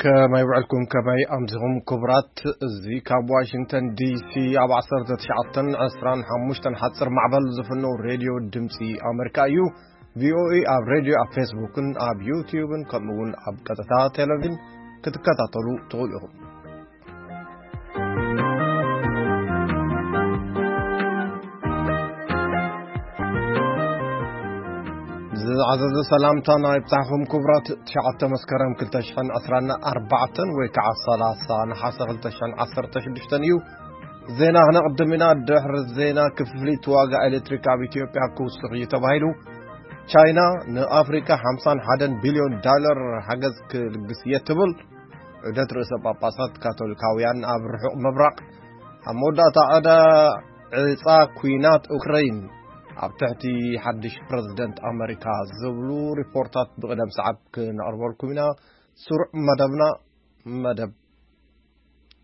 ከመይ ውዕልኩም፣ ከመይ ኣምሲኹም ክቡራት? እዚ ካብ ዋሽንግተን ዲሲ ኣብ ዓሰርተ ትሽዓተን ዕስራን ሓሙሽተን ሓፂር ማዕበል ዝፍነው ሬድዮ ድምፂ ኣመሪካ እዩ። ቪኦኤ ኣብ ሬድዮ፣ ኣብ ፌስቡክን ኣብ ዩትዩብን ከምኡ እውን ኣብ ቀጥታ ቴሌቪዥን ክትከታተሉ ትኽእሉ ኢኹም። ዝዓዘዘ ሰላምታና ይብጻሕኹም ክቡራት። ትሽዓተ መስከረም ክልተ ሽሕን ዕስራን ኣርባዕተን ወይ ከዓ ሰላሳ ነሓሰ ክልተ ሽሕን ዓሰርተ ሽዱሽተን እዩ። ዜና ክነቕድም ኢና። ድሕሪ ዜና፣ ክፍሊት ዋጋ ኤሌክትሪክ ኣብ ኢትዮጵያ ክውስኽ እዩ ተባሂሉ። ቻይና ንኣፍሪካ ሓምሳን ሓደን ቢልዮን ዳለር ሓገዝ ክልግስ እየ ትብል። ዑደት ርእሰ ጳጳሳት ካቶሊካውያን ኣብ ርሑቕ ምብራቕ። ኣብ መወዳእታ ዕዳ ዕፃ ኲናት ኡክረይን ኣብ ትሕቲ ሓድሽ ፕረዚደንት ኣመሪካ ዝብሉ ሪፖርታት ብቕደም ሰዓብ ክነቕርበልኩም ኢና። ስሩዕ መደብና መደብ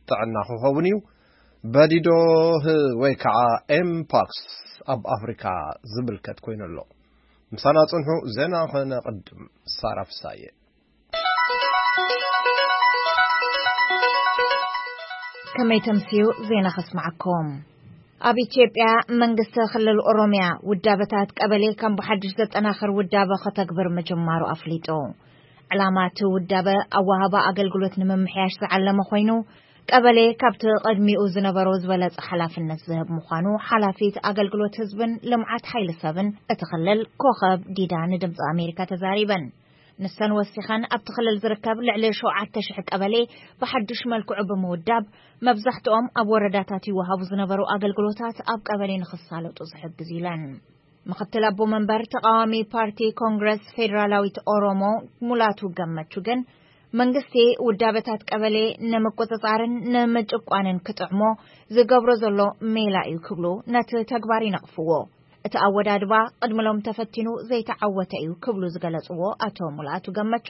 ጥዕና ክኸውን እዩ። በዲዶ ህ-፣ ወይ ከዓ ኤምፓክስ ኣብ ኣፍሪካ ዝምልከት ኮይኑ ኣሎ። ምሳና ጽንሑ፣ ዜና ከነቕድም። ሳራ ፍሳየ። ከመይ ተምስዩ ዜና ከስምዓኩም። ኣብ ኢትዮጵያ መንግስቲ ክልል ኦሮሚያ ውዳበታት ቀበሌ ከም ብሓድሽ ዘጠናኽር ውዳበ ከተግብር ምጅማሩ ኣፍሊጡ። ዕላማ እቲ ውዳበ ኣወሃባ ኣገልግሎት ንምምሕያሽ ዝዓለመ ኮይኑ፣ ቀበሌ ካብቲ ቅድሚኡ ዝነበሮ ዝበለጸ ሓላፍነት ዝህብ ምዃኑ ሓላፊት ኣገልግሎት ህዝብን ልምዓት ሓይሊ ሰብን እቲ ክልል ኮኸብ ዲዳ ንድምፂ ኣሜሪካ ተዛሪበን። ንሰን ወሲኸን፣ ኣብቲ ክልል ዝርከብ ልዕሊ ሸውዓተ ሽሕ ቀበሌ ብሓድሽ መልክዑ ብምውዳብ፣ መብዛሕትኦም ኣብ ወረዳታት ይወሃቡ ዝነበሩ ኣገልግሎታት ኣብ ቀበሌ ንኽሳለጡ ዝሕግዝ ኢለን። ምኽትል ኣቦ መንበር ተቃዋሚ ፓርቲ ኮንግረስ ፌዴራላዊት ኦሮሞ ሙላቱ ገመቹ ግን፣ መንግስቲ ውዳበታት ቀበሌ ንምቁጽጻርን ንምጭቋንን ክጥዕሞ ዝገብሮ ዘሎ ሜላ እዩ ክብሉ ነቲ ተግባር ይነቕፍዎ። እቲ ኣወዳድባ ቅድሚ ሎም ተፈቲኑ ዘይተዓወተ እዩ ክብሉ ዝገለጽዎ ኣቶ ሙላቱ ገመቹ፣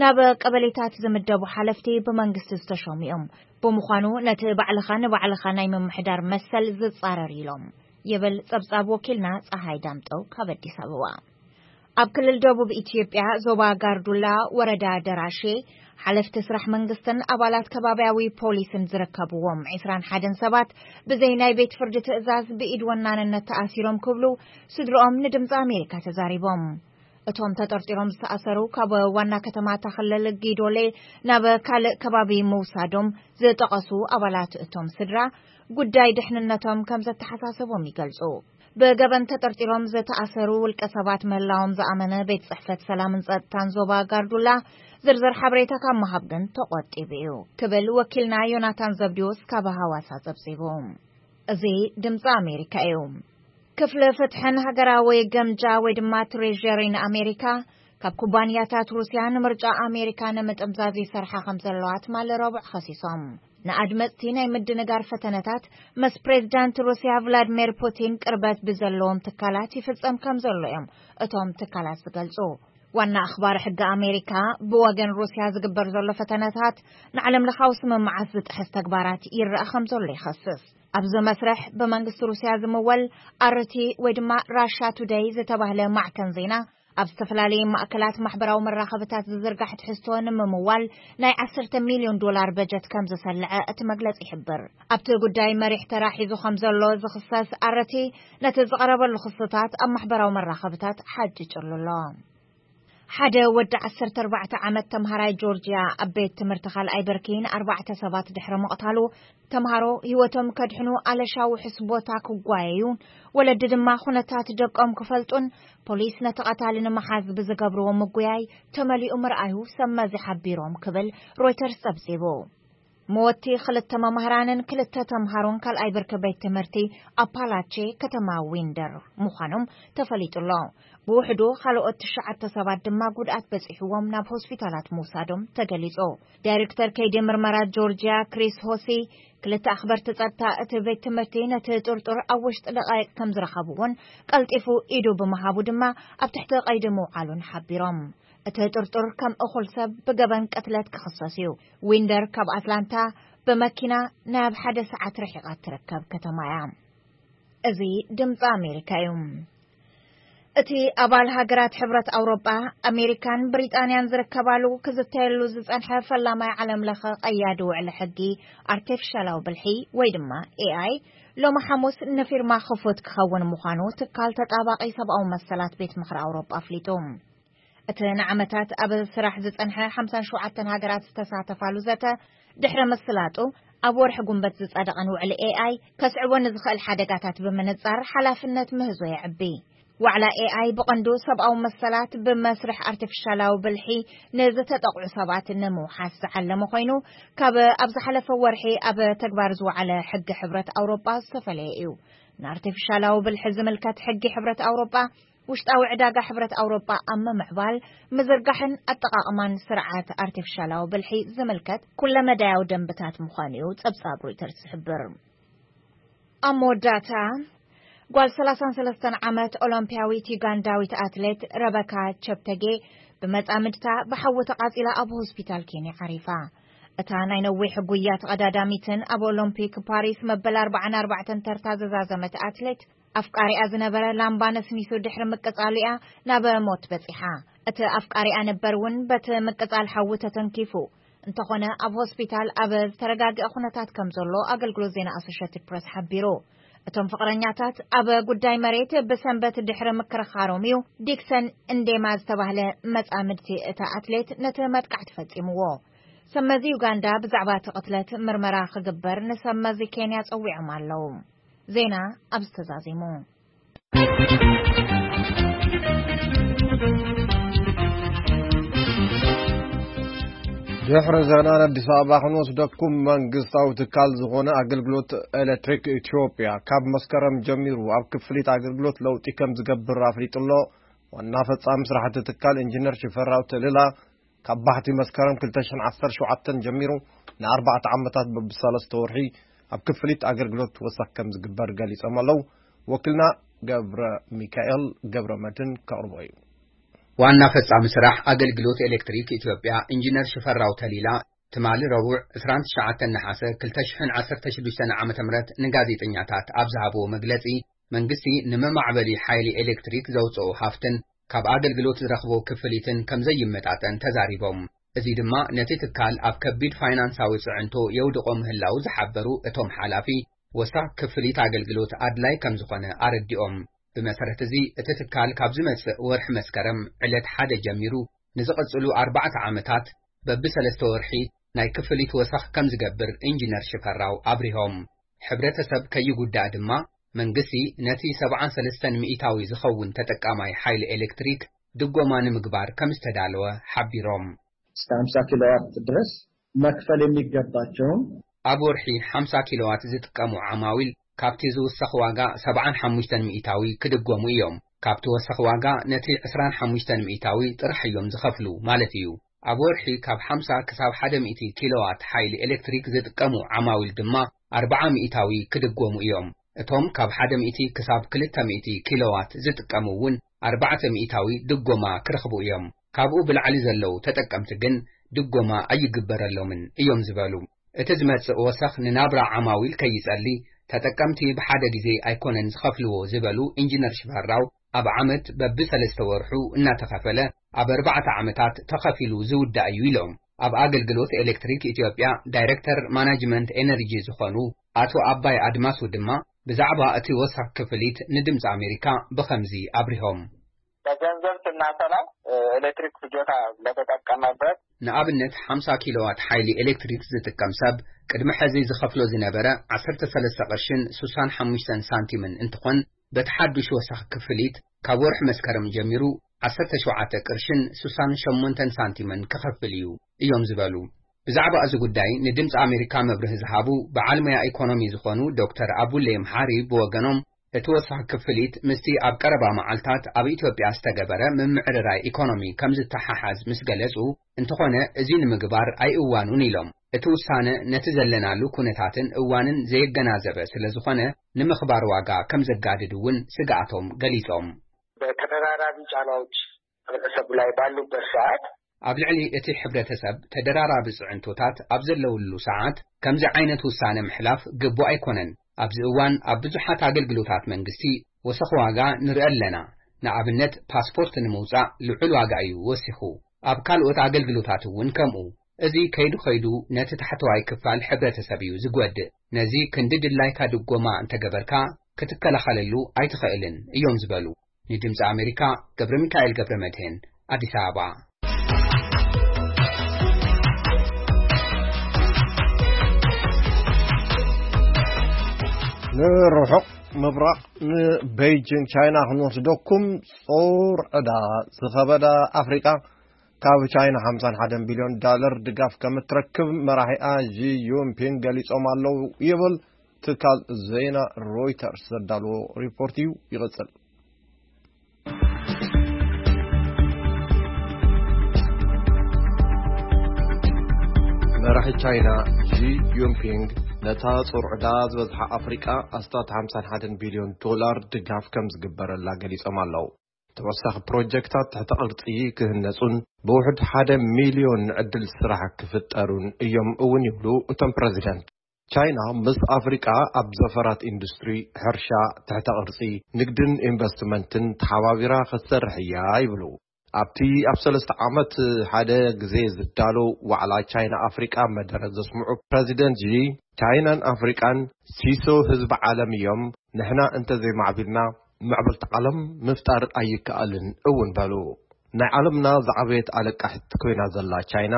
ናብ ቀበሌታት ዝምደቡ ሓለፍቲ ብመንግስቲ ዝተሸሙ እዮም። ብምዃኑ ነቲ ባዕልኻ ንባዕልኻ ናይ ምምሕዳር መሰል ዝጻረር ኢሎም፣ ይብል ጸብጻብ ወኪልና ጸሃይ ዳምጠው ካብ ኣዲስ ኣበባ። ኣብ ክልል ደቡብ ኢትዮጵያ ዞባ ጋርዱላ ወረዳ ደራሼ ሓለፍቲ ስራሕ መንግስትን ኣባላት ከባብያዊ ፖሊስን ዝርከብዎም ዕስራን ሓደን ሰባት ብዘይ ናይ ቤት ፍርዲ ትእዛዝ ብኢድ ወናንነት ተኣሲሮም ክብሉ ስድርኦም ንድምፂ ኣሜሪካ ተዛሪቦም። እቶም ተጠርጢሮም ዝተኣሰሩ ካብ ዋና ከተማ እታ ክልል ጊዶሌ ናብ ካልእ ከባቢ ምውሳዶም ዝጠቐሱ ኣባላት እቶም ስድራ፣ ጉዳይ ድሕንነቶም ከም ዘተሓሳሰቦም ይገልጹ። ብገበን ተጠርጢሮም ዝተኣሰሩ ውልቀ ሰባት ምህላዎም ዝኣመነ ቤት ጽሕፈት ሰላምን ጸጥታን ዞባ ጋርዱላ ዝርዝር ሓበሬታ ካብ ምሃብ ግን ተቖጢቡ እዩ ክብል ወኪልና ዮናታን ዘብዲዎስ ካብ ሃዋሳ ጸብጺቡ። እዚ ድምፂ ኣሜሪካ እዩ። ክፍሊ ፍትሕን ሃገራዊ ገምጃ ወይ ድማ ትሬዠሪን ኣሜሪካ፣ ካብ ኩባንያታት ሩስያ ንምርጫ ኣሜሪካ ንምጥምዛዝ ይሰርሓ ከም ዘለዋ ትማሊ ረቡዕ ከሲሶም። ንኣድመፅቲ ናይ ምድንጋር ፈተነታት ምስ ፕሬዚዳንት ሩስያ ቭላድሚር ፑቲን ቅርበት ብዘለዎም ትካላት ይፍፀም ከም ዘሎ እዮም እቶም ትካላት ዝገልፁ። ዋና ኣኽባሪ ሕጊ ኣሜሪካ፣ ብወገን ሩስያ ዝግበር ዘሎ ፈተነታት ንዓለም ለኻዊ ስምምዓት ዝጥሕስ ተግባራት ይረኣ ከም ዘሎ ይኸስስ። ኣብዚ መስርሕ ብመንግስቲ ሩስያ ዝምወል ኣርቲ ወይ ድማ ራሻ ቱደይ ዝተባህለ ማዕከን ዜና፣ ኣብ ዝተፈላለዩ ማእከላት ማሕበራዊ መራኸብታት ዝዝርጋሕ ትሕዝቶ ንምምዋል ናይ ዓሰርተ ሚልዮን ዶላር በጀት ከም ዝሰለዐ እቲ መግለጺ ይሕብር። ኣብቲ ጉዳይ መሪሕ ተራ ሒዙ ከም ዘሎ ዝኽሰስ ኣረቲ፣ ነቲ ዝቐረበሉ ክስታት ኣብ ማሕበራዊ መራኸብታት ሓጭጭሉ ኣሎ። ሓደ ወዲ ዓሰርተ ኣርባዕተ ዓመት ተምሃራይ ጆርጅያ ኣብ ቤት ትምህርቲ ካልኣይ ብርኪ ንኣርባዕተ ሰባት ድሕሪ ምቕታሉ፣ ተምሃሮ ህይወቶም ከድሕኑ ኣለሻ ውሑስ ቦታ ክጓየዩን ወለዲ ድማ ኩነታት ደቆም ክፈልጡን ፖሊስ ነቲ ቀታሊ ንምሓዝ ብዝገብርዎ ምጉያይ ተመሊኡ ምርኣዩ ሰብ መዚ ሓቢሮም ክብል ሮይተርስ ጸብጺቡ። መወቲ ክልተ መምህራንን ክልተ ተምሃሮን ካልኣይ ብርኪ ቤት ትምህርቲ ኣፓላቼ ከተማ ዊንደር ምዃኖም ተፈሊጡ ኣሎ። ብውሕዱ ካልኦት ትሽዓተ ሰባት ድማ ጉድኣት በጺሕዎም ናብ ሆስፒታላት ምውሳዶም ተገሊጹ። ዳይሬክተር ከይዲ ምርመራ ጆርጂያ ክሪስ ሆሲ፣ ክልተ ኣኽበርቲ ጸጥታ እቲ ቤት ትምህርቲ ነቲ ጥርጡር ኣብ ውሽጢ ደቃይቅ ከም ዝረኸብዎን ቀልጢፉ ኢዱ ብምሃቡ ድማ ኣብ ትሕቲ ቀይዲ ምውዓሉን ሓቢሮም። እቲ ጥርጡር ከም እኹል ሰብ ብገበን ቅትለት ክኽሰስ እዩ። ዊንደር ካብ ኣትላንታ ብመኪና ናብ ሓደ ሰዓት ርሒቓ እትርከብ ከተማ እያ። እዚ ድምፂ ኣሜሪካ እዩ። እቲ ኣባል ሃገራት ሕብረት ኣውሮጳ፣ ኣሜሪካን ብሪጣንያን ዝርከባሉ ክዝተየሉ ዝጸንሐ ፈላማይ ዓለም ለኸ ቀያዲ ውዕሊ ሕጊ ኣርቲፊሻላዊ ብልሒ ወይ ድማ ኤ ኣይ ሎሚ ሓሙስ ንፊርማ ክፉት ክኸውን ምዃኑ ትካል ተጣባቂ ሰብኣዊ መሰላት ቤት ምኽሪ ኣውሮጳ ኣፍሊጡ። እቲ ንዓመታት ኣብ ስራሕ ዝጸንሐ ሓምሳን ሸውዓተን ሃገራት ዝተሳተፋሉ ዘተ ድሕሪ ምስላጡ፣ ኣብ ወርሒ ጉንበት ዝጸደቐን ውዕሊ ኤ ኣይ ከስዕቦ ንዝኽእል ሓደጋታት ብምንጻር ሓላፍነት ምህዞ የዕቢ። ዋዕላ ኤ ኣይ ብቐንዱ ሰብኣዊ መሰላት ብመስርሕ ኣርቲፊሻላዊ ብልሒ ንዝተጠቕዑ ሰባት ንምውሓስ ዝዓለመ ኮይኑ፣ ካብ ኣብ ዝሓለፈ ወርሒ ኣብ ተግባር ዝወዓለ ሕጊ ሕብረት ኣውሮጳ ዝተፈለየ እዩ። ንኣርቲፊሻላዊ ብልሒ ዝምልከት ሕጊ ሕብረት ኣውሮጳ፣ ውሽጣዊ ዕዳጋ ሕብረት ኣውሮጳ ኣብ ምምዕባል፣ ምዝርጋሕን ኣጠቓቕማን ስርዓት ኣርቲፊሻላዊ ብልሒ ዝምልከት ኩለመዳያዊ ደንብታት ምዃኑ እዩ ጸብጻብ ሮይተርስ ዝሕብር። ኣብ መወዳእታ፣ ጓል ሰላሳን ሰለስተን ዓመት ኦሎምፒያዊት ዩጋንዳዊት ኣትሌት ረበካ ቸፕተጌ ብመጻምድታ ብሓዊ ተቓጺላ ኣብ ሆስፒታል ኬንያ ዓሪፋ። እታ ናይ ነዊሕ ጉያ ተቐዳዳሚትን ኣብ ኦሎምፒክ ፓሪስ መበል ኣርባዓን ኣርባዕተን ተርታ ዝዛዘመት ኣትሌት፣ ኣፍቃሪኣ ዝነበረ ላምባ ነስኒሱ ድሕሪ ምቅጻሉ እያ ናብ ሞት በጺሓ። እቲ ኣፍቃሪኣ ነበር እውን በቲ ምቅጻል ሓዊ ተተንኪፉ። እንተኾነ፣ ኣብ ሆስፒታል ኣብ ዝተረጋግአ ኩነታት ከም ዘሎ ኣገልግሎት ዜና ኣሶሼትድ ፕረስ ሓቢሩ። እቶም ፍቕረኛታት ኣብ ጉዳይ መሬት ብሰንበት ድሕሪ ምክርኻሮም እዩ ዲክሰን እንዴማ ዝተባህለ መጻምድቲ እታ ኣትሌት ነቲ መጥቃዕቲ ፈጺምዎ። ሰብ መዚ ዩጋንዳ ብዛዕባ እቲ ቅትለት ምርመራ ክግበር ንሰብ መዚ ኬንያ ጸዊዖም ኣለዉ። ዜና ኣብዚ ተዛዚሙ። ድሕሪ ዜና ኣዲስ ኣበባ ክንወስደኩም፣ መንግስታዊ ትካል ዝኾነ ኣገልግሎት ኤሌክትሪክ ኢትዮጵያ ካብ መስከረም ጀሚሩ ኣብ ክፍሊት ኣገልግሎት ለውጢ ከም ዝገብር ኣፍሊጡ ኣሎ። ዋና ፈጻሚ ስራሕቲ ትካል ኢንጂነር ሽፈራው ተልላ፣ ካብ ባሕቲ መስከረም ክልተ ሽሕን ዓሰርተ ሸውዓተን ጀሚሩ ንኣርባዕተ ዓመታት በብሰለስተ ወርሒ ኣብ ክፍሊት ኣገልግሎት ወሰኽ ከም ዝግበር ገሊጾም ኣለዉ። ወኪልና ገብረ ሚካኤል ገብረ መድህን ከቕርቦ እዩ። ዋና ፈጻሚ ስራሕ ኣገልግሎት ኤሌክትሪክ ኢትዮጵያ ኢንጂነር ሽፈራው ተሊላ፣ ትማሊ ረቡዕ ዕስራን ትሽዓተን ነሓሰ ክልተ ሽሕን ዓሰርተ ሽዱሽተን ዓመተ ምህረት ንጋዜጠኛታት ኣብ ዝሃብዎ መግለጺ፣ መንግስቲ ንመማዕበሊ ሓይሊ ኤሌክትሪክ ዘውጽኦ ሃፍትን ካብ ኣገልግሎት ዝረኽቦ ክፍሊትን ከም ዘይመጣጠን ተዛሪቦም። እዚ ድማ ነቲ ትካል ኣብ ከቢድ ፋይናንሳዊ ጽዕንቶ የውድቖ ምህላው ዝሓበሩ እቶም ሓላፊ፣ ወሳኽ ክፍሊት ኣገልግሎት ኣድላይ ከም ዝኾነ ኣረዲኦም። ብመሰረት እዚ፣ እቲ ትካል ካብ ዝመጽእ ወርሒ መስከረም ዕለት ሓደ ጀሚሩ ንዝቕጽሉ ኣርባዕተ ዓመታት በብሰለስተ ወርሒ ናይ ክፍሊት ወሰኽ ከም ዝገብር ኢንጂነር ሽፈራው ኣብሪሆም። ሕብረተሰብ ከይጉዳእ ድማ መንግስቲ ነቲ ሰብዓን ሰለስተን ሚእታዊ ዝኸውን ተጠቃማይ ሓይሊ ኤሌክትሪክ ድጎማ ንምግባር ከም ዝተዳለወ ሓቢሮም። እስከ ሃምሳ ኪሎዋት ድረስ መክፈል የሚገባቸውን ኣብ ወርሒ ሓምሳ ኪሎዋት ዝጥቀሙ ዓማዊል ካብቲ ዝውሰኽ ዋጋ ሰብዓን ሓሙሽተን ሚእታዊ ክድጎሙ እዮም። ካብቲ ወሰኽ ዋጋ ነቲ ዕስራን ሓሙሽተን ሚእታዊ ጥራሕ እዮም ዝኸፍሉ ማለት እዩ። ኣብ ወርሒ ካብ ሓምሳ ክሳብ ሓደ ሚእቲ ኪሎዋት ሓይሊ ኤሌክትሪክ ዝጥቀሙ ዓማዊል ድማ ኣርብዓ ሚእታዊ ክድጎሙ እዮም። እቶም ካብ ሓደ ሚእቲ ክሳብ ክልተ ሚእቲ ኪሎዋት ዝጥቀሙ እውን ኣርባዕተ ሚእታዊ ድጎማ ክረኽቡ እዮም። ካብኡ ብላዕሊ ዘለዉ ተጠቀምቲ ግን ድጎማ ኣይግበረሎምን እዮም ዝበሉ። እቲ ዝመጽእ ወሰኽ ንናብራ ዓማዊል ከይጸሊ ተጠቀምቲ ብሓደ ግዜ ኣይኮነን ዝኸፍልዎ ዝበሉ ኢንጂነር ሽፈራው፣ ኣብ ዓመት በብሰለስተ ወርሑ እናተኸፈለ ኣብ ኣርባዕተ ዓመታት ተኸፊሉ ዝውዳእ እዩ ኢሎም። ኣብ ኣገልግሎት ኤሌክትሪክ ኢትዮጵያ ዳይሬክተር ማናጅመንት ኤነርጂ ዝኾኑ ኣቶ ኣባይ ኣድማሱ ድማ ብዛዕባ እቲ ወሳኽ ክፍሊት ንድምፂ ኣሜሪካ ብኸምዚ ኣብሪሆም። በገንዘብ ስናሰላ፣ ኤሌክትሪክ ፍጆታ ለተጠቀመበት ንኣብነት፣ ሓምሳ ኪሎዋት ሓይሊ ኤሌክትሪክ ዝጥቀም ሰብ ቅድሚ ሕዚ ዝኸፍሎ ዝነበረ ዓሰርተ ሰለስተ ቅርሽን ስሳን ሓሙሽተን ሳንቲምን እንትኾን፣ በቲ ሓዱሽ ወሳኺ ክፍሊት ካብ ወርሒ መስከረም ጀሚሩ ዓሰርተ ሸውዓተ ቅርሽን ስሳን ሸሞንተን ሳንቲምን ክኸፍል እዩ እዮም ዝበሉ። ብዛዕባ እዚ ጉዳይ ንድምፂ ኣሜሪካ መብርሂ ዝሃቡ በዓል ሞያ ኢኮኖሚ ዝኾኑ ዶክተር ኣቡሌ መሓሪ ብወገኖም፣ እቲ ወሳኺ ክፍሊት ምስቲ ኣብ ቀረባ መዓልታት ኣብ ኢትዮጵያ ዝተገበረ ምምዕርራይ ኢኮኖሚ ከም ዝተሓሓዝ ምስ ገለጹ፣ እንተኾነ እዚ ንምግባር ኣይእዋኑን ኢሎም። እቲ ውሳነ ነቲ ዘለናሉ ኩነታትን እዋንን ዘየገናዘበ ስለ ዝኾነ፣ ንምኽባር ዋጋ ከም ዘጋድድ እውን ስግኣቶም ገሊጾም። በተደራራቢ ጫናዎች ህብረተሰቡ ላይ ባሉበት ሰዓት ኣብ ልዕሊ እቲ ሕብረተሰብ ተደራራቢ ጽዕንቶታት ኣብ ዘለውሉ ሰዓት፣ ከምዚ ዓይነት ውሳነ ምሕላፍ ግቡእ ኣይኮነን። ኣብዚ እዋን ኣብ ብዙሓት ኣገልግሎታት መንግስቲ ወሰኽ ዋጋ ንርኢ ኣለና። ንኣብነት ፓስፖርት ንምውጻእ ልዑል ዋጋ እዩ ወሲኹ። ኣብ ካልኦት ኣገልግሎታት እውን ከምኡ። እዚ ከይዱ ከይዱ ነቲ ታሕተዋይ ክፋል ሕብረተሰብ እዩ ዝጎድእ። ነዚ ክንዲ ድላይካ ድጎማ እንተገበርካ ክትከላኸለሉ ኣይትኽእልን እዮም ዝበሉ። ንድምፂ ኣሜሪካ ገብረ ሚካኤል ገብረ መድህን ኣዲስ ኣበባ። ንርሑቕ ምብራቕ ንቤይጂንግ ቻይና ክንወስደኩም። ጾር ዕዳ ዝኸበዳ ኣፍሪቃ ካብ ቻይና ሓምሳን ሓደን ቢልዮን ዳለር ድጋፍ ከም እትረክብ መራሒኣ ዢ ዩንፒንግ ገሊጾም ኣለዉ ይብል ትካል ዜና ሮይተርስ ዘዳለዎ ሪፖርት እዩ። ይቕጽል። መራሒ ቻይና ዢ ዩንፒንግ ነታ ጾር ዕዳ ዝበዝሓ ኣፍሪቃ ኣስታት ሓምሳን ሓደን ቢልዮን ዶላር ድጋፍ ከም ዝግበረላ ገሊጾም ኣለዉ። ተወሳኺ ፕሮጀክታት ትሕተ ቅርጺ ክህነጹን ብውሕድ ሓደ ሚልዮን ዕድል ስራሕ ክፍጠሩን እዮም እውን ይብሉ እቶም ፕረዚደንት። ቻይና ምስ ኣፍሪቃ ኣብ ዘፈራት ኢንዱስትሪ፣ ሕርሻ፣ ትሕተ ቅርጺ፣ ንግድን ኢንቨስትመንትን ተሓባቢራ ክትሰርሕ እያ ይብሉ። ኣብቲ ኣብ ሰለስተ ዓመት ሓደ ግዜ ዝዳሎ ዋዕላ ቻይና ኣፍሪቃ መደረ ዘስምዑ ፕረዚደንት ዢ፣ ቻይናን ኣፍሪቃን ሲሶ ህዝቢ ዓለም እዮም፣ ንሕና እንተዘይማዕቢልና ምዕብልቲ ዓለም ምፍጣር ኣይከኣልን እውን በሉ። ናይ ዓለምና ዝዓበየት ኣለቃሕቲ ኮይና ዘላ ቻይና፣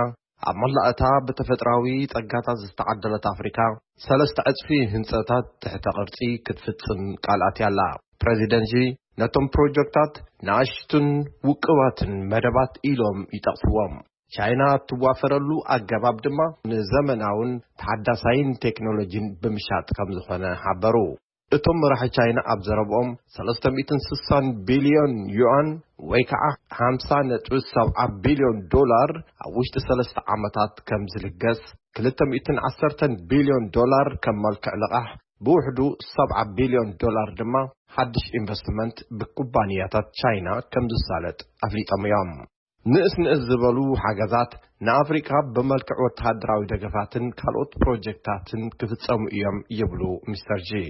ኣብ መላእታ ብተፈጥራዊ ጸጋታት ዝተዓደለት ኣፍሪካ ሰለስተ ዕጽፊ ህንጸታት ትሕተ ቅርጺ ክትፍጽም ቃል ኣትያ ኣላ። ፕረዚደንት ሺ ነቶም ፕሮጀክታት ንኣሽቱን ውቅባትን መደባት ኢሎም ይጠቕስዎም። ቻይና እትዋፈረሉ ኣገባብ ድማ ንዘመናውን ተሓዳሳይን ቴክኖሎጂን ብምሻጥ ከም ዝኾነ ሓበሩ። እቶም መራሒ ቻይና ኣብ ዘረብኦም ሰለስተ ሚእትን ስሳን ቢልዮን ዩኣን ወይ ከዓ ሓምሳ ነጥቢ ሰብዓ ቢልዮን ዶላር ኣብ ውሽጢ ሰለስተ ዓመታት ከም ዝልገስ፣ ክልተ ሚእትን ዓሰርተን ቢልዮን ዶላር ከም መልክዕ ልቓሕ፣ ብውሕዱ ሰብዓ ቢልዮን ዶላር ድማ ሓድሽ ኢንቨስትመንት ብኩባንያታት ቻይና ከም ዝሳለጥ ኣፍሊጦም እዮም። ንእስ ንእስ ዝበሉ ሓገዛት ንኣፍሪካ ብመልክዕ ወተሃደራዊ ደገፋትን ካልኦት ፕሮጀክታትን ክፍጸሙ እዮም ይብሉ ሚስተር ጂ።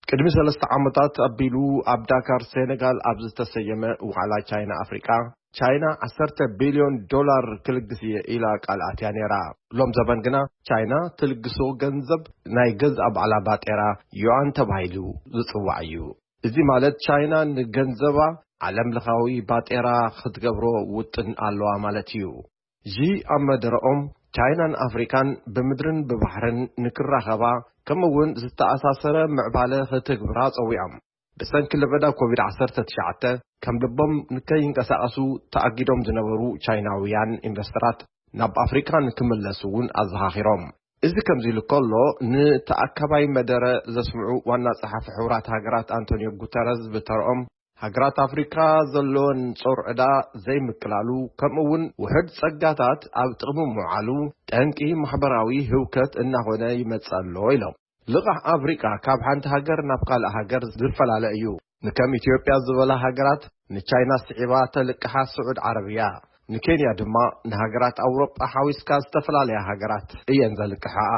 ቅድሚ ሰለስተ ዓመታት ኣቢሉ ኣብ ዳካር ሴኔጋል ኣብ ዝተሰየመ ዋዕላ ቻይና ኣፍሪቃ፣ ቻይና ዓሰርተ ቢልዮን ዶላር ክልግስ እየ ኢላ ቃል ኣትያ ነይራ። ሎም ዘበን ግና ቻይና ትልግሶ ገንዘብ ናይ ገዛእ ባዕላ ባጤራ ዩኣን ተባሂሉ ዝጽዋዕ እዩ። እዚ ማለት ቻይና ንገንዘባ ዓለም ለኻዊ ባጤራ ክትገብሮ ውጥን ኣለዋ ማለት እዩ። ዢ ኣብ መደረኦም ቻይናን ኣፍሪካን ብምድርን ብባሕርን ንክራኸባ ከምኡ እውን ዝተኣሳሰረ ምዕባለ ክትግብራ ጸዊዖም። ብሰንኪ ለበዳ ኮቪድ ዓሰርተ ትሽዓተ ከም ልቦም ንከይንቀሳቐሱ ተኣጊዶም ዝነበሩ ቻይናውያን ኢንቨስተራት ናብ ኣፍሪካ ንክምለሱ እውን ኣዘኻኺሮም። እዚ ከምዚ ኢሉ ከሎ፣ ንተኣከባይ መደረ ዘስምዑ ዋና ጸሓፊ ሕቡራት ሃገራት ኣንቶኒዮ ጉተረዝ ብተርኦም፣ ሃገራት ኣፍሪካ ዘለወን ጾር ዕዳ ዘይምቅላሉ፣ ከምኡ እውን ውሕድ ጸጋታት ኣብ ጥቕሚ ምውዓሉ ጠንቂ ማሕበራዊ ህውከት እናኾነ ይመጽእ ኣሎ ኢሎም። ልቓሕ ኣፍሪቃ ካብ ሓንቲ ሃገር ናብ ካልእ ሃገር ዝፈላለ እዩ። ንከም ኢትዮጵያ ዝበላ ሃገራት ንቻይና ስዒባ ተልቅሓ ስዑድ ዓረብ እያ። ንኬንያ ድማ ንሃገራት ኣውሮጳ ሓዊስካ ዝተፈላለያ ሃገራት እየን ዘልቅሓኣ።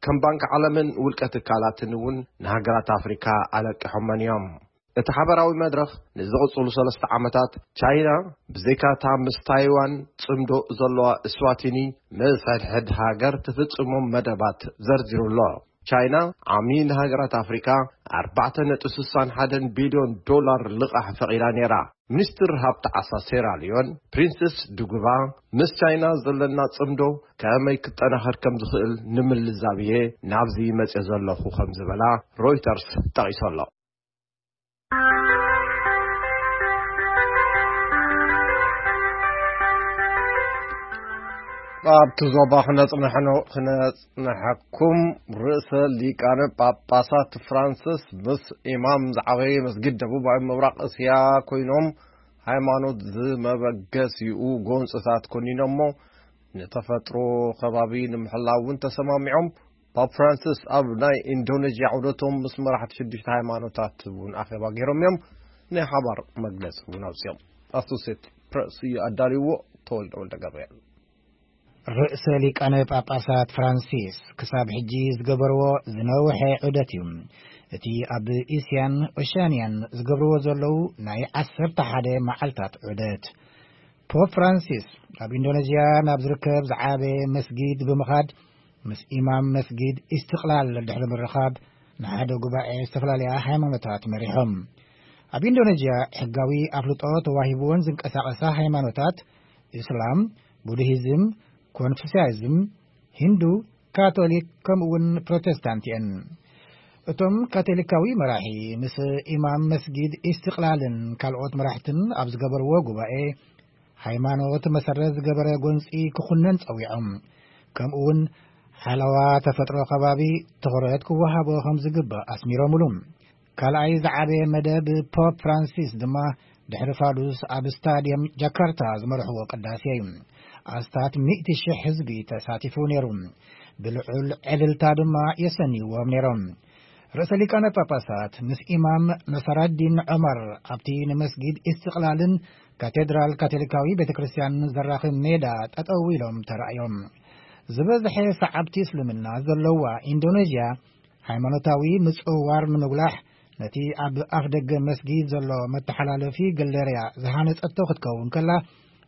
ከም ባንክ ዓለምን ውልቀ ትካላትን እውን ንሃገራት ኣፍሪካ ኣለቂሖመን እዮም። እቲ ሓበራዊ መድረኽ ንዝቕጽሉ ሰለስተ ዓመታት ቻይና ብዘይካታ ምስ ታይዋን ጽምዶ ዘለዋ እስዋቲኒ ምስ ሕድሕድ ሃገር ትፍጽሞም መደባት ዘርዚሩ ኣሎ። ቻይና ዓሚ ንሃገራት ኣፍሪካ ኣርባዕተ ነጥቢ ስሳን ሓደን ቢልዮን ዶላር ልቓሕ ፈቒዳ ነይራ። ሚኒስትር ሃብቲ ዓሳ ሴራልዮን ፕሪንስስ ዱጉባ፣ ምስ ቻይና ዘለና ጽምዶ ከመይ ክጠናኸር ከም ዝኽእል ንምልዛብ እየ ናብዚ መጽየ ዘለኹ ከም ዝበላ ሮይተርስ ጠቒሱ ኣሎ። ኣብቲ ዞባ ክነጽንሐኖ-፣ ክነጽንሐኩም፣ ርእሰ ሊቃነ ጳጳሳት ፍራንሲስ ምስ ኢማም ዝዓበየ መስጊድ ደቡባዊ ምብራቕ እስያ ኮይኖም፣ ሃይማኖት ዝመበገሲኡ ጎንጽታት ኮኒኖሞ፣ ንተፈጥሮ ከባቢ ንምሕላው እውን ተሰማሚዖም። ፓፕ ፍራንሲስ ኣብ ናይ ኢንዶኔዥያ ዑደቶም ምስ መራሕቲ ሽዱሽተ ሃይማኖታት እውን ኣኼባ ገይሮም እዮም። ናይ ሓባር መግለጺ እውን ኣውፅኦም። ኣሶሴት ፕረስ እዩ ኣዳልይዎ። ተወልደ ወልደ ገብርኤል። ርእሰ ሊቃነ ጳጳሳት ፍራንሲስ ክሳብ ሕጂ ዝገበርዎ ዝነውሐ ዑደት እዩ። እቲ ኣብ እስያን ኦሽያንያን ዝገብርዎ ዘለዉ ናይ ዓሰርተ ሓደ መዓልታት ዑደት። ፖፕ ፍራንሲስ ኣብ ኢንዶነዥያ ናብ ዝርከብ ዝዓበ መስጊድ ብምኻድ፣ ምስ ኢማም መስጊድ ኢስትቕላል ድሕሪ ምርኻብ፣ ንሓደ ጉባኤ ዝተፈላለያ ሃይማኖታት መሪሖም። ኣብ ኢንዶነዥያ ሕጋዊ ኣፍልጦ ተዋሂብዎን ዝንቀሳቐሳ ሃይማኖታት፣ እስላም፣ ቡድሂዝም፣ ኮንፉሲያዝም፣ ሂንዱ፣ ካቶሊክ፣ ከምኡ እውን ፕሮቴስታንት እየን። እቶም ካቶሊካዊ መራሒ ምስ ኢማም መስጊድ ኢስትቕላልን ካልኦት መራሕትን ኣብ ዝገበርዎ ጉባኤ፣ ሃይማኖት መሰረት ዝገበረ ጎንጺ ክኹነን ጸዊዖም። ከምኡ እውን ሓለዋ ተፈጥሮ ከባቢ ትኹረት ክወሃቦ ከም ዝግባእ ኣስሚሮምሉ። ካልኣይ ዝዓበየ መደብ ፖፕ ፍራንሲስ ድማ ድሕሪ ፋዱስ ኣብ ስታድየም ጃካርታ ዝመርሕዎ ቅዳሴ እዩ። ኣስታት ሚእቲ ሽሕ ህዝቢ ተሳቲፉ ነይሩ። ብልዑል ዕልልታ ድማ የሰንይዎም ነይሮም። ርእሰ ሊቃነ ጳጳሳት ምስ ኢማም ነሰራዲን ዑመር ኣብቲ ንመስጊድ ኢስትቕላልን ካቴድራል ካቶሊካዊ ቤተ ክርስቲያን ዘራኽብ ሜዳ ጠጠው ኢሎም ተራእዮም። ዝበዝሐ ሰዓብቲ እስልምና ዘለዋ ኢንዶኔዥያ፣ ሃይማኖታዊ ምጽውዋር ንምጉላሕ ነቲ ኣብ ኣፍ ደገ መስጊድ ዘሎ መተሓላለፊ ገለርያ ዝሃነጸቶ ክትከውን ከላ፣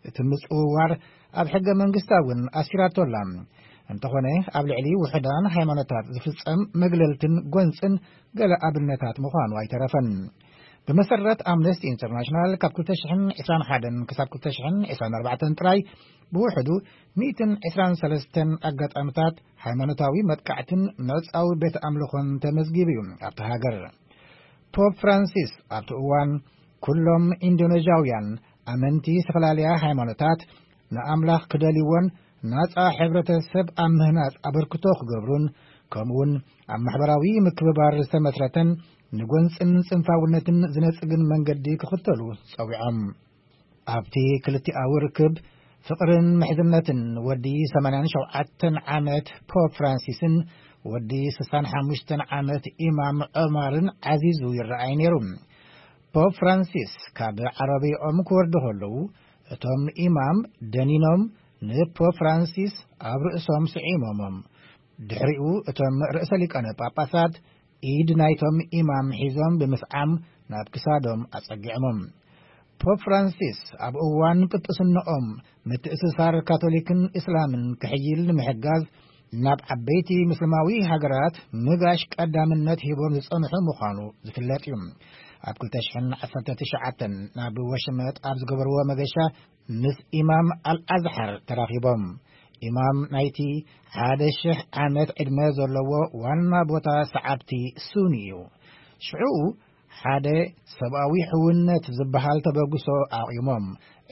እቲ ምጽውዋር ኣብ ሕገ መንግስታ እውን ኣስፊራቶ ኣላ። እንተኾነ፣ ኣብ ልዕሊ ውሑዳን ሃይማኖታት ዝፍጸም መግለልትን ጎንጽን ገለ ኣብነታት ምዃኑ ኣይተረፈን። ብመሰረት ኣምነስቲ ኢንተርናሽናል፣ ካብ ክልተ ሽሕን ዕስራን ሓደን ክሳብ ክልተ ሽሕን ዕስራን ኣርባዕተን ጥራይ ብውሕዱ ሚእትን ዕስራን ሰለስተን ኣጋጣምታት ሃይማኖታዊ መጥቃዕትን ምዕጻዊ ቤት ኣምልኾን ተመዝጊቡ እዩ ኣብቲ ሃገር። ፖፕ ፍራንሲስ ኣብቲ እዋን፣ ኩሎም ኢንዶኔዥያውያን ኣመንቲ ዝተፈላለያ ሃይማኖታት ንኣምላኽ ክደልይዎን ናጻ ሕብረተሰብ ኣብ ምህናጽ ኣበርክቶ ክገብሩን፣ ከምኡውን ኣብ ማሕበራዊ ምክብባር ዝተመስረተን ንጎንጽን ጽንፋውነትን ዝነጽግን መንገዲ ክኽተሉ ጸዊዖም። ኣብቲ ክልቲኣዊ ርክብ፣ ፍቕርን ምሕዝነትን ወዲ ሰማንያን ሸውዓተን ዓመት ፖፕ ፍራንሲስን ወዲ ስሳን ሓሙሽተን ዓመት ኢማም ዑማርን ዓዚዙ ይረኣይ ነይሩ። ፖፕ ፍራንሲስ ካብ ዓረቢኦም ክወርዱ ከለዉ፣ እቶም ኢማም ደኒኖም ንፖፕ ፍራንሲስ ኣብ ርእሶም ስዒሞሞም። ድሕሪኡ እቶም ርእሰ ሊቃነ ጳጳሳት ኢድ ናይቶም ኢማም ሒዞም ብምስዓም ናብ ክሳዶም ኣጸጊዖሞም። ፖፕ ፍራንሲስ ኣብ እዋን ጵጵስናኦም ምትእስሳር ካቶሊክን እስላምን ክሕይል ንምሕጋዝ ናብ ዓበይቲ ምስልማዊ ሃገራት ምጋሽ ቀዳምነት ሂቦም ዝጸንሑ ምዃኑ ዝፍለጥ እዩ። ኣብ ክልተ ሽሕን ዓሰርተ ትሽዓተን ናብ ወሽመጥ ኣብ ዝገበርዎ መገሻ ምስ ኢማም ኣልኣዝሓር ተራኺቦም። ኢማም ናይቲ ሓደ ሽሕ ዓመት ዕድመ ዘለዎ ዋና ቦታ ሰዓብቲ ሱኒ እዩ። ሽዑኡ ሓደ ሰብኣዊ ሕውነት ዝበሃል ተበግሶ ኣቑሞም።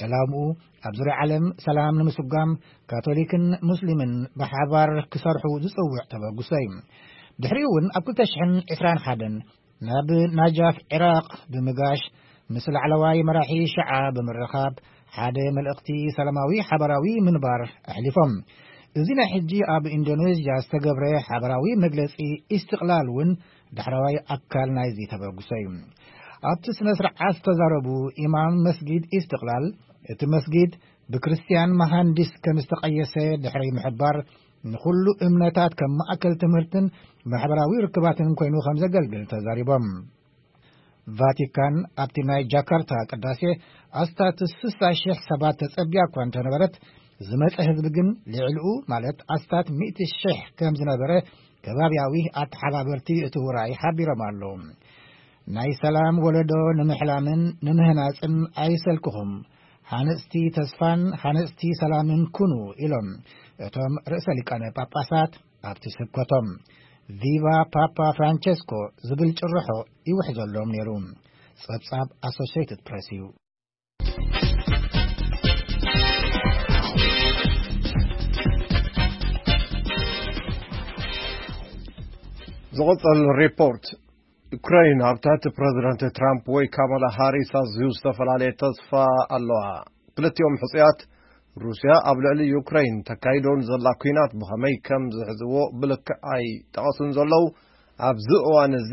ዕላምኡ ኣብ ዙርያ ዓለም ሰላም ንምስጓም፣ ካቶሊክን ሙስሊምን ብሓባር ክሰርሑ ዝጽውዕ ተበግሶ እዩ። ድሕሪኡ እውን ኣብ ክልተ ሽሕን ዕስራን ሓደን ናብ ናጃፍ፣ ዒራቕ ብምጋሽ፣ ምስ ላዕለዋይ መራሒ ሽዓ ብምርኻብ፣ ሓደ መልእኽቲ ሰላማዊ ሓባራዊ ምንባር ኣሕሊፎም። እዚ ናይ ሕጂ ኣብ ኢንዶኔዥያ ዝተገብረ ሓባራዊ መግለጺ ኢስትቕላል እውን ዳሕረዋይ ኣካል ናይዚ ተበግሶ እዩ። ኣብቲ ስነ ስርዓት ዝተዛረቡ ኢማም መስጊድ ኢስትቕላል፣ እቲ መስጊድ ብክርስትያን መሃንዲስ ከም ዝተቐየሰ ድሕሪ ምሕባር፣ ንኹሉ እምነታት ከም ማእከል ትምህርትን ማሕበራዊ ርክባትን ኮይኑ ከም ዘገልግል ተዛሪቦም። ቫቲካን ኣብቲ ናይ ጃካርታ ቅዳሴ ኣስታት ስሳ ሽሕ ሰባት ተጸቢያ እኳ እንተነበረት፣ ዝመጸ ህዝቢ ግን ልዕሊኡ፣ ማለት ኣስታት ሚእቲ ሽሕ ከም ዝነበረ ከባቢያዊ ኣተሓባበርቲ እቲ ውራይ ሓቢሮም ኣለዉ። ናይ ሰላም ወለዶ ንምሕላምን ንምህናጽን ኣይሰልክኹም፣ ሃነጽቲ ተስፋን ሃነጽቲ ሰላምን ኩኑ፣ ኢሎም እቶም ርእሰ ሊቃነ ጳጳሳት ኣብቲ ስብከቶም። ቪቫ ፓፓ ፍራንቸስኮ ዝብል ጭርሖ ይውሕዘሎም ነይሩ። ጸብጻብ ኣሶሽየትድ ፕሬስ እዩ። ዝቕጽል ሪፖርት፣ ዩክረይን ኣብ ትሕቲ ፕረዚደንት ትራምፕ ወይ ካማላ ሃሪስ ኣዝዩ ዝተፈላለየ ተስፋ ኣለዋ። ክልቲኦም ሕጹያት፣ ሩስያ ኣብ ልዕሊ ዩክረይን ተካይዶ ንዘላ ኲናት ብኸመይ ከም ዝሕዝዎ ብልክዕ ኣይጠቐሱን ዘለዉ። ኣብዚ እዋን እዚ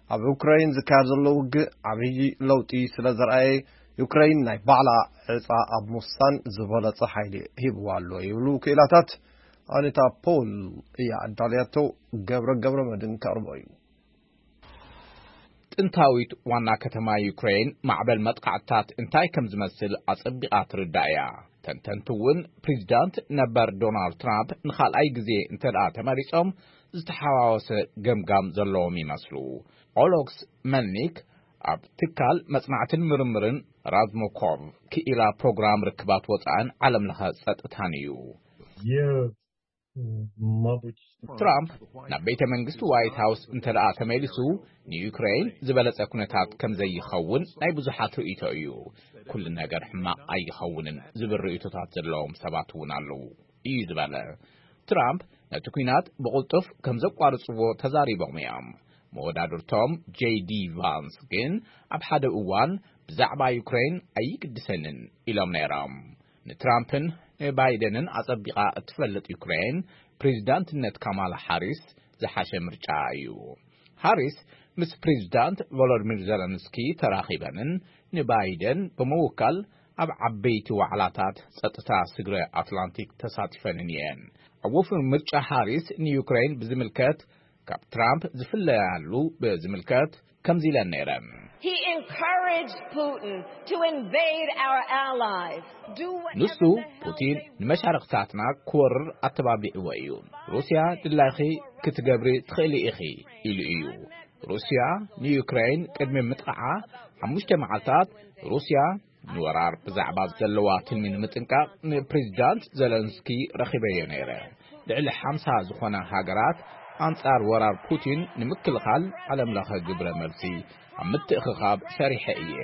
ኣብ ዩክረይን ዝካየድ ዘሎ ውግእ ዓብዪ ለውጢ ስለ ዘርኣየ፣ ዩክረይን ናይ ባዕላ ዕጻ ኣብ ምውሳን ዝበለጸ ሓይሊ ሂብዋ ኣሎ ይብሉ ክኢላታት። ኣኒታ ፖል እያ ኣዳልያቶ፣ ገብረ ገብረ መድን ከቕርቦ እዩ። ጥንታዊት ዋና ከተማ ዩክሬን ማዕበል መጥቃዕትታት እንታይ ከም ዝመስል ኣጸቢቓ ትርዳእ እያ። ተንተንቲ እውን ፕሬዚዳንት ነበር ዶናልድ ትራምፕ ንኻልኣይ ግዜ እንተ ደኣ ተመሪጾም ዝተሓዋወሰ ገምጋም ዘለዎም ይመስሉ። ኦሎክስ መልኒክ ኣብ ትካል መጽናዕትን ምርምርን ራዝሞኮቭ ክኢላ ፕሮግራም ርክባት ወጻእን ዓለም ለኸ ጸጥታን እዩ። Є, м, мабуть, ትራምፕ ናብ ቤተ መንግስቲ ዋይት ሃውስ እንተ ደኣ ተመሊሱ ንዩክሬን ዝበለጸ ኩነታት ከም ዘይኸውን ናይ ብዙሓት ርእይቶ እዩ። ኩሉ ነገር ሕማቕ ኣይኸውንን ዝብል ርእይቶታት ዘለዎም ሰባት እውን ኣለዉ እዩ ዝበለ። ትራምፕ ነቲ ኲናት ብቕልጡፍ ከም ዘቋርጽዎ ተዛሪቦም እዮም። መወዳድርቶም ጄዲ ቫንስ ግን ኣብ ሓደ እዋን ብዛዕባ ዩክሬን ኣይግድሰንን ኢሎም ነይሮም። ንትራምፕን ንባይደንን ኣጸቢቓ እትፈልጥ ዩክሬን ፕሬዚዳንትነት ካማላ ሃሪስ ዝሓሸ ምርጫ እዩ። ሃሪስ ምስ ፕሬዚዳንት ቮሎዲሚር ዘለንስኪ ተራኺበንን ንባይደን ብምውካል ኣብ ዓበይቲ ዋዕላታት ጸጥታ ስግረ ኣትላንቲክ ተሳቲፈንን እየን። ኣብ ወፍሪ ምርጫ ሃሪስ ንዩክሬን ብዝምልከት ካብ ትራምፕ ዝፍለያሉ ብዝምልከት ከምዚ ኢለን ነይረን። He encouraged Putin to invade our allies. Do whatever ንሱ the hell ፑቲን they ንመሻርኽታትና ክወርር ኣተባቢዕዎ እዩ። ሩስያ ድላይኺ ክትገብሪ ትኽእሊ ኢኺ ኢሉ እዩ። ሩስያ ንዩክሬን ቅድሚ ምጥቓዓ ሓሙሽተ መዓልታት ሩስያ ንወራር ብዛዕባ ዘለዋ ትልሚ ንምጥንቃቕ ንፕሬዚዳንት ዘለንስኪ ረኺበዮ ነይረ። ልዕሊ ሓምሳ ዝኾና ሃገራት ኣንጻር ወራር ፑቲን ንምክልኻል ዓለም ለኸ ግብረ መልሲ ኣብ ምትእኽኻብ ሰሪሐ እየ።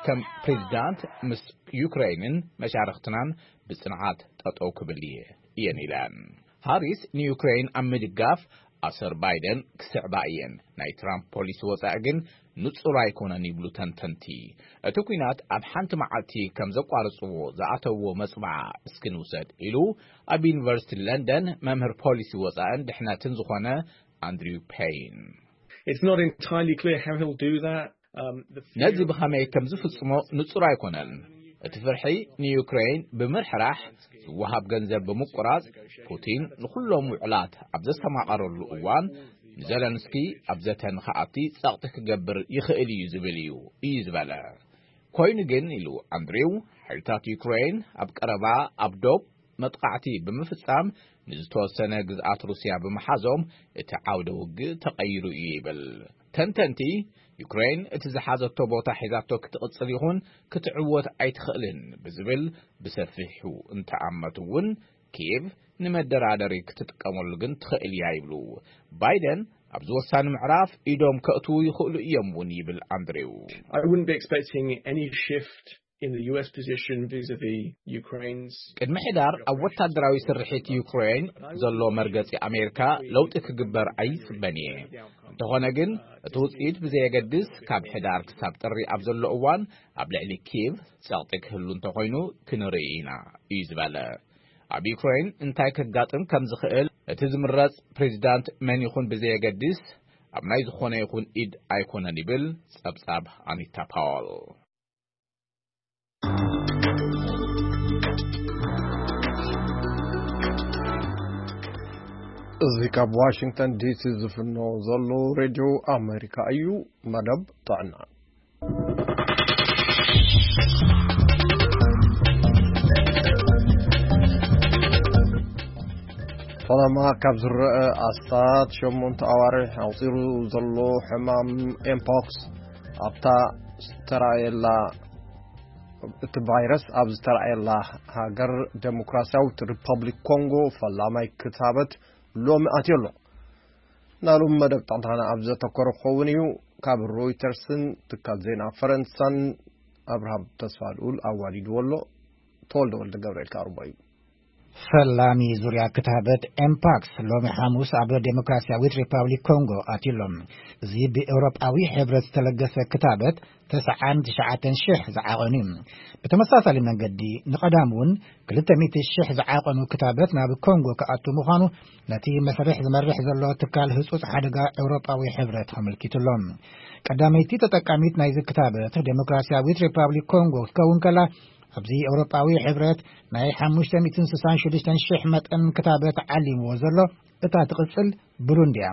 ከም ፕሬዚዳንት ምስ ዩክሬንን መሻርኽትናን ብጽንዓት ጠጠው ክብል እየ እየን ኢለን። ሃሪስ ንዩክሬን ኣብ ምድጋፍ ኣሰር ባይደን ክስዕባ እየን። ናይ ትራምፕ ፖሊሲ ወጻኢ ግን ንጹር ኣይኮነን ይብሉ ተንተንቲ። እቲ ኲናት ኣብ ሓንቲ መዓልቲ ከም ዘቋርጽዎ ዝኣተዎ መጽብዓ እስኪ ንውሰድ ኢሉ ኣብ ዩኒቨርሲቲ ለንደን መምህር ፖሊሲ ወጻእን ድሕነትን ዝኾነ ኣንድሪው ፔይን። It's not entirely clear how he'll do that. Um, the ነዚ fear ብኸመይ ከም ዝፍጽሞ ንጹር ኣይኮነን። እቲ ፍርሒ ንዩክሬን ብምርሕራሕ ዝወሃብ ገንዘብ ብምቁራጽ ፑቲን ንኹሎም ውዕላት ኣብ ዘስተማቐረሉ እዋን ንዘለንስኪ ኣብ ዘተ ንኽኣቲ ጸቕጢ ክገብር ይኽእል እዩ ዝብል እዩ እዩ ዝበለ። ኮይኑ ግን ኢሉ ኣንድሪው ሓይልታት ዩክሬን ኣብ ቀረባ ኣብ ዶብ መጥቃዕቲ ብምፍጻም ንዝተወሰነ ግዝኣት ሩስያ ብምሓዞም እቲ ዓውደ ውግእ ተቐይሩ እዩ ይብል። ተንተንቲ ዩክሬን እቲ ዝሓዘቶ ቦታ ሒዛቶ ክትቕጽል ይኹን ክትዕወት ኣይትኽእልን ብዝብል ብሰፊሑ እንተኣመቱ እውን ኪየቭ ንመደራደሪ ክትጥቀመሉ ግን ትኽእል እያ ይብሉ። ባይደን ኣብዚ ወሳኒ ምዕራፍ ኢዶም ከእትዉ ይኽእሉ እዮም እውን ይብል ኣንድሪው። I wouldn't be expecting any shift in the U S position vis-a-vis Ukraine's. ቅድሚ ሕዳር ኣብ ወታደራዊ ስርሒት ዩክሬን ዘሎ መርገጺ ኣሜሪካ ለውጢ ክግበር ኣይጽበን እየ። እንተኾነ ግን እቲ ውጽኢት ብዘየገድስ ካብ ሕዳር ክሳብ ጥሪ ኣብ ዘሎ እዋን ኣብ ልዕሊ ኪየቭ ጸቕጢ ክህሉ እንተኾይኑ ክንርኢ ኢና እዩ ዝበለ። ኣብ ዩክሬን እንታይ ከጋጥም ከም ዝኽእል እቲ ዝምረጽ ፕሬዚዳንት መን ይኹን ብዘየገድስ ኣብ ናይ ዝኾነ ይኹን ኢድ ኣይኮነን ይብል ጸብጻብ ኣኒታ ፓወል። እዚ ካብ ዋሽንግተን ዲሲ ዝፍኖ ዘሎ ሬድዮ ኣሜሪካ እዩ። መደብ ጥዕና። ፈለማ ካብ ዝረአ ኣስታት ሸሞንተ ኣዋርሕ ኣቑጺሩ ዘሎ ሕማም ኤምፖክስ ኣብታ ዝተራእየላ እቲ ቫይረስ ኣብ ዝተራእየላ ሃገር ዴሞክራሲያዊት ሪፐብሊክ ኮንጎ ፈላማይ ክታበት ሎሚ ኣትዮ ኣሎ። ናሎም መደብ ጥዕናና ኣብ ዘተኮረ ክኸውን እዩ። ካብ ሮይተርስን ትካል ዜና ፈረንሳን ኣብርሃም ተስፋ ልኡል ኣዋዲድዎ ኣሎ። ተወልደ ወልደ ገብርኤል ካርቦ እዩ። ፈላሚ ዙርያ ክታበት ኤምፓክስ ሎሚ ሓሙስ ኣብ ዴሞክራሲያዊት ሪፓብሊክ ኮንጎ ኣትዩሎም። እዚ ብኤውሮጳዊ ሕብረት ዝተለገሰ ክታበት ተስዓን ትሽዓተን ሽሕ ዝዓቐኑ እዩ። ብተመሳሳሊ መንገዲ ንቐዳም እውን ክልተ ሚእቲ ሽሕ ዝዓቐኑ ክታበት ናብ ኮንጎ ክኣቱ ምዃኑ ነቲ መስርሕ ዝመርሕ ዘሎ ትካል ህጹጽ ሓደጋ ኤውሮጳዊ ሕብረት ኣመልኪቱሎም። ቀዳመይቲ ተጠቃሚት ናይዚ ክታበት ዴሞክራሲያዊት ሪፓብሊክ ኮንጎ ክትከውን ከላ ኣብዚ ኤውሮጳዊ ሕብረት ናይ ሓሙሽተ ሚእትን ስሳን ሽዱሽተን ሽሕ መጠን ክታበት ዓሊምዎ ዘሎ፣ እታ ትቕጽል ብሩንዲ እያ።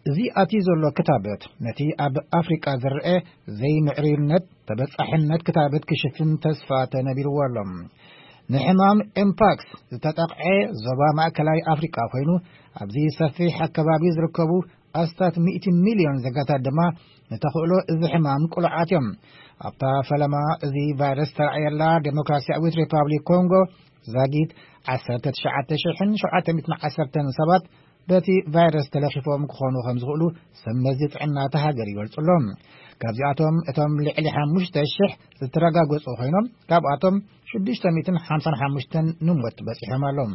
እዚ ኣትዩ ዘሎ ክታበት ነቲ ኣብ ኣፍሪቃ ዝረአ ዘይምዕርዩነት ተበጻሕነት ክታበት ክሽፍን ተስፋ ተነቢርዎ ኣሎ። ንሕማም ኤምፓክስ ዝተጠቕዐ ዞባ ማእከላይ ኣፍሪቃ ኮይኑ፣ ኣብዚ ሰፊሕ ኣከባቢ ዝርከቡ ኣስታት ሚእቲ ሚልዮን ዜጋታት ድማ ንተኽእሎ እዚ ሕማም ቅሉዓት እዮም። ኣብታ ፈለማ እዚ ቫይረስ ተራእየላ ዴሞክራሲያዊት ሪፓብሊክ ኮንጎ፣ ዛጊት ዓሰርተ ትሽዓተ ሽሕን ሸውዓተ ሚእትን ዓሰርተን ሰባት በቲ ቫይረስ ተለኺፎም ክኾኑ ከም ዝኽእሉ ሰብ መዚ ጥዕና እታ ሃገር ይገልጹ ኣለዉ። ካብዚኣቶም እቶም ልዕሊ ሓሙሽተ ሽሕ ዝተረጋገጹ ኮይኖም፣ ካብኣቶም ሽዱሽተ ሚእትን ሓምሳን ሓሙሽተን ንሞት በጺሖም ኣለዉ።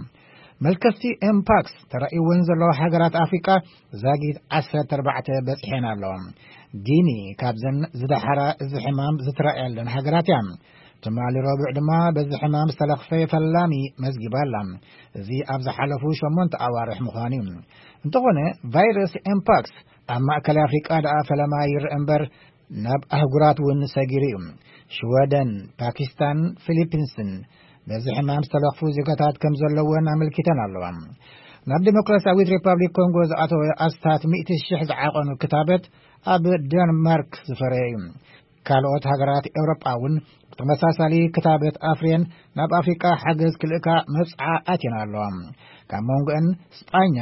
መልከፍቲ ኤምፓክስ ተራእይወን ዘለዋ ሃገራት ኣፍሪቃ ዛጊት ዓሰርተ ኣርባዕተ በጺሐን ኣለዋ። ጊኒ ካብዘን ዝደሓራ እዚ ሕማም ዝተራእያለን ሃገራት እያ። ትማሊ ረቡዕ ድማ በዚ ሕማም ዝተለኽፈ ፈላሚ መዝጊባ ኣላ። እዚ ኣብ ዝሓለፉ ሸሞንተ ኣዋርሕ ምዃኑ እዩ። እንተኾነ፣ ቫይረስ ኤምፓክስ ኣብ ማእከላይ ኣፍሪቃ ደኣ ፈለማ ይርአ እምበር፣ ናብ ኣህጉራት እውን ሰጊሩ እዩ። ሽወደን፣ ፓኪስታን፣ ፊሊፒንስን በዚ ሕማም ዝተለኽፉ ዜጋታት ከም ዘለወን ኣመልኪተን ኣለዋ። ናብ ዴሞክራሲያዊት ሪፓብሊክ ኮንጎ ዝኣተወ ኣስታት ሚእቲ ሽሕ ዝዓቐኑ ክታበት ኣብ ደንማርክ ዝፈረየ እዩ። ካልኦት ሃገራት ኤውሮጳ እውን ብተመሳሳሊ ክታበት ኣፍርየን ናብ ኣፍሪቃ ሓገዝ ክልእካ መብጽዓ ኣትየን ኣለዋ። ካብ መንጎአን ስጳኛ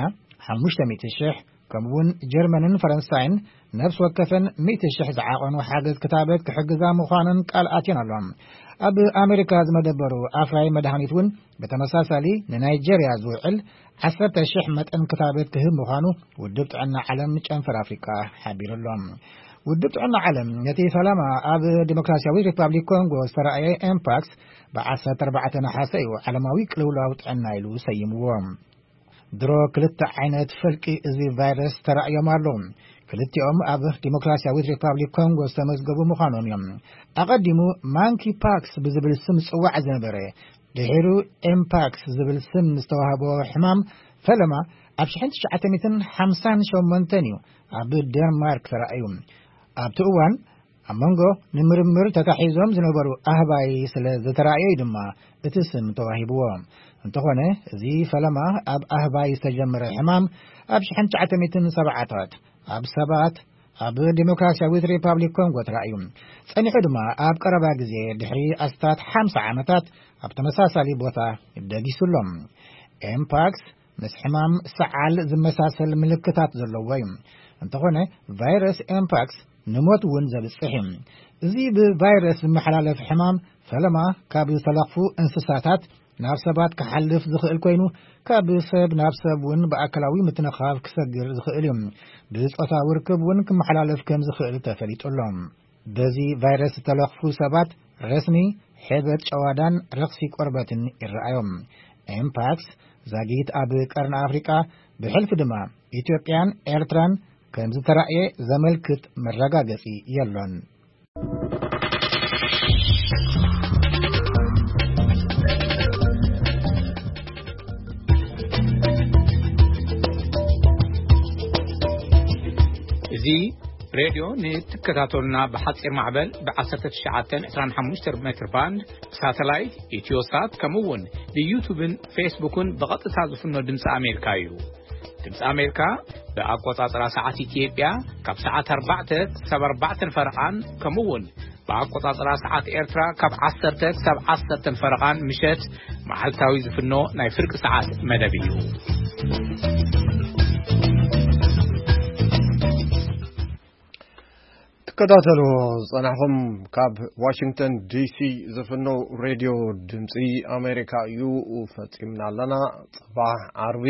ሓሙሽተ ሚእቲ ሽሕ፣ ከምኡውን ጀርመንን ፈረንሳይን ነፍሲ ወከፈን ሚእቲ ሽሕ ዝዓቐኑ ሓገዝ ክታበት ክሕግዛ ምዃነን ቃል ኣትየን ኣለዋ። ኣብ ኣሜሪካ ዝመደበሩ ኣፍራይ መድሃኒት እውን ብተመሳሳሊ ንናይጀርያ ዝውዕል ዓሰርተ ሽሕ መጠን ክታበት ክህብ ምዃኑ ውድብ ጥዕና ዓለም ጨንፈር ኣፍሪቃ ሓቢሩ ኣሎ። ውድብ ጥዕና ዓለም ነቲ ፈለማ ኣብ ዲሞክራሲያዊት ሪፓብሊክ ኮንጎ ዝተራእየ ኤምፓክስ ብ ዓሰርተ ኣርባዕተ ነሓሰ እዩ ዓለማዊ ቅልውላው ጥዕና ኢሉ ሰይምዎ። ድሮ ክልተ ዓይነት ፈልቂ እዚ ቫይረስ ተራእዮም ኣለዉ። ክልቲኦም ኣብ ዲሞክራሲያዊት ሪፓብሊክ ኮንጎ ዝተመዝገቡ ምዃኖም እዮም። ኣቐዲሙ ማንኪ ፓክስ ብዝብል ስም ዝጽዋዕ ዝነበረ፣ ድሒሩ ኤምፓክስ ዝብል ስም ዝተዋህቦ ሕማም ፈለማ ኣብ ሽሕን ትሽዓተ ሚእትን ሓምሳን ሸሞንተን እዩ ኣብ ደንማርክ ተራእዩ። ኣብቲ እዋን ኣብ መንጎ ንምርምር ተታሒዞም ዝነበሩ ኣህባይ ስለ ዝተራእየ እዩ ድማ እቲ ስም ተዋሂብዎ። እንተኾነ፣ እዚ ፈለማ ኣብ ኣህባይ ዝተጀመረ ሕማም ኣብ ሽሕን ትሽዓተ ሚእትን ሰብዓታት ኣብ ሰባት ኣብ ዲሞክራሲያዊት ሪፓብሊክ ኮንጎ ተራእዩ። ጸኒሑ ድማ ኣብ ቀረባ ግዜ ድሕሪ ኣስታት ሓምሳ ዓመታት ኣብ ተመሳሳሊ ቦታ ደጊሱ ኣሎ። ኤምፓክስ ምስ ሕማም ሰዓል ዝመሳሰል ምልክታት ዘለዎ እዩ። እንተኾነ፣ ቫይረስ ኤምፓክስ ንሞት እውን ዘብጽሕ እዩ። እዚ ብቫይረስ ዝመሓላለፍ ሕማም ፈለማ ካብ ዝተለኽፉ እንስሳታት ናብ ሰባት ክሓልፍ ዝኽእል ኮይኑ፣ ካብ ሰብ ናብ ሰብ እውን ብኣካላዊ ምትንኻፍ ክሰግር ዝኽእል እዩ። ብጾታዊ ርክብ እውን ክመሓላለፍ ከም ዝኽእል ተፈሊጡ ኣሎ። በዚ ቫይረስ ዝተለኽፉ ሰባት ረስኒ ሕበጥ ጨዋዳን ረኽሲ ቆርበትን ይረኣዮም። ኤምፓክስ ዛጊት ኣብ ቀርኒ ኣፍሪቃ፣ ብሕልፊ ድማ ኢትዮጵያን ኤርትራን ከም ዝተራእየ ዘመልክት መረጋገጺ የሎን። እዚ ሬድዮ ንትከታተሉና ብሓጺር ማዕበል ብ ዓሰርተ ትሽዓተ ዕስራን ሓሙሽተን ሜትር ባንድ፣ ብሳተላይት፣ ኢትዮሳት፣ ከምኡ እውን ብዩቱብን ፌስቡክን ብቐጥታ ዝፍኖ ድምፂ ኣሜሪካ እዩ። ድምፂ ኣሜሪካ ብኣቆፃፅራ ሰዓት ኢትዮጵያ ካብ ሰዓት ኣርባዕተ ክሳብ ኣርባዕተን ፈረቓን፣ ከምኡ እውን ብኣቆፃፅራ ሰዓት ኤርትራ ካብ ዓሰርተ ክሳብ ዓሰርተን ፈረቓን ምሸት መዓልታዊ ዝፍኖ ናይ ፍርቂ ሰዓት መደብ እዩ። ትከታተሉ ዝጸናሕኹም ካብ ዋሽንግተን ዲሲ ዝፍነው ሬድዮ ድምጺ ኣሜሪካ እዩ። ፈጺምና ኣለና። ጽባሕ ዓርቢ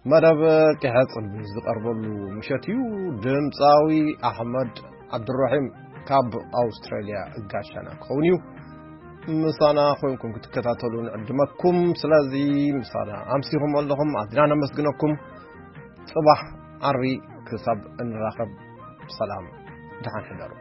መደብ ቂሐ ጽልሚ ዝቐርበሉ ምሸት እዩ። ድምጻዊ ኣሕመድ ዓብዱራሒም ካብ ኣውስትራልያ ጋሻና ክኸውን እዩ። ምሳና ኮይንኩም ክትከታተሉ ንዕድመኩም። ስለዚ ምሳና ኣምሲኹም ኣለኹም፣ ኣዝና ነመስግነኩም። ጽባሕ ዓርቢ ክሳብ እንራኸብ ብሰላም ደሓን ሕደሩ።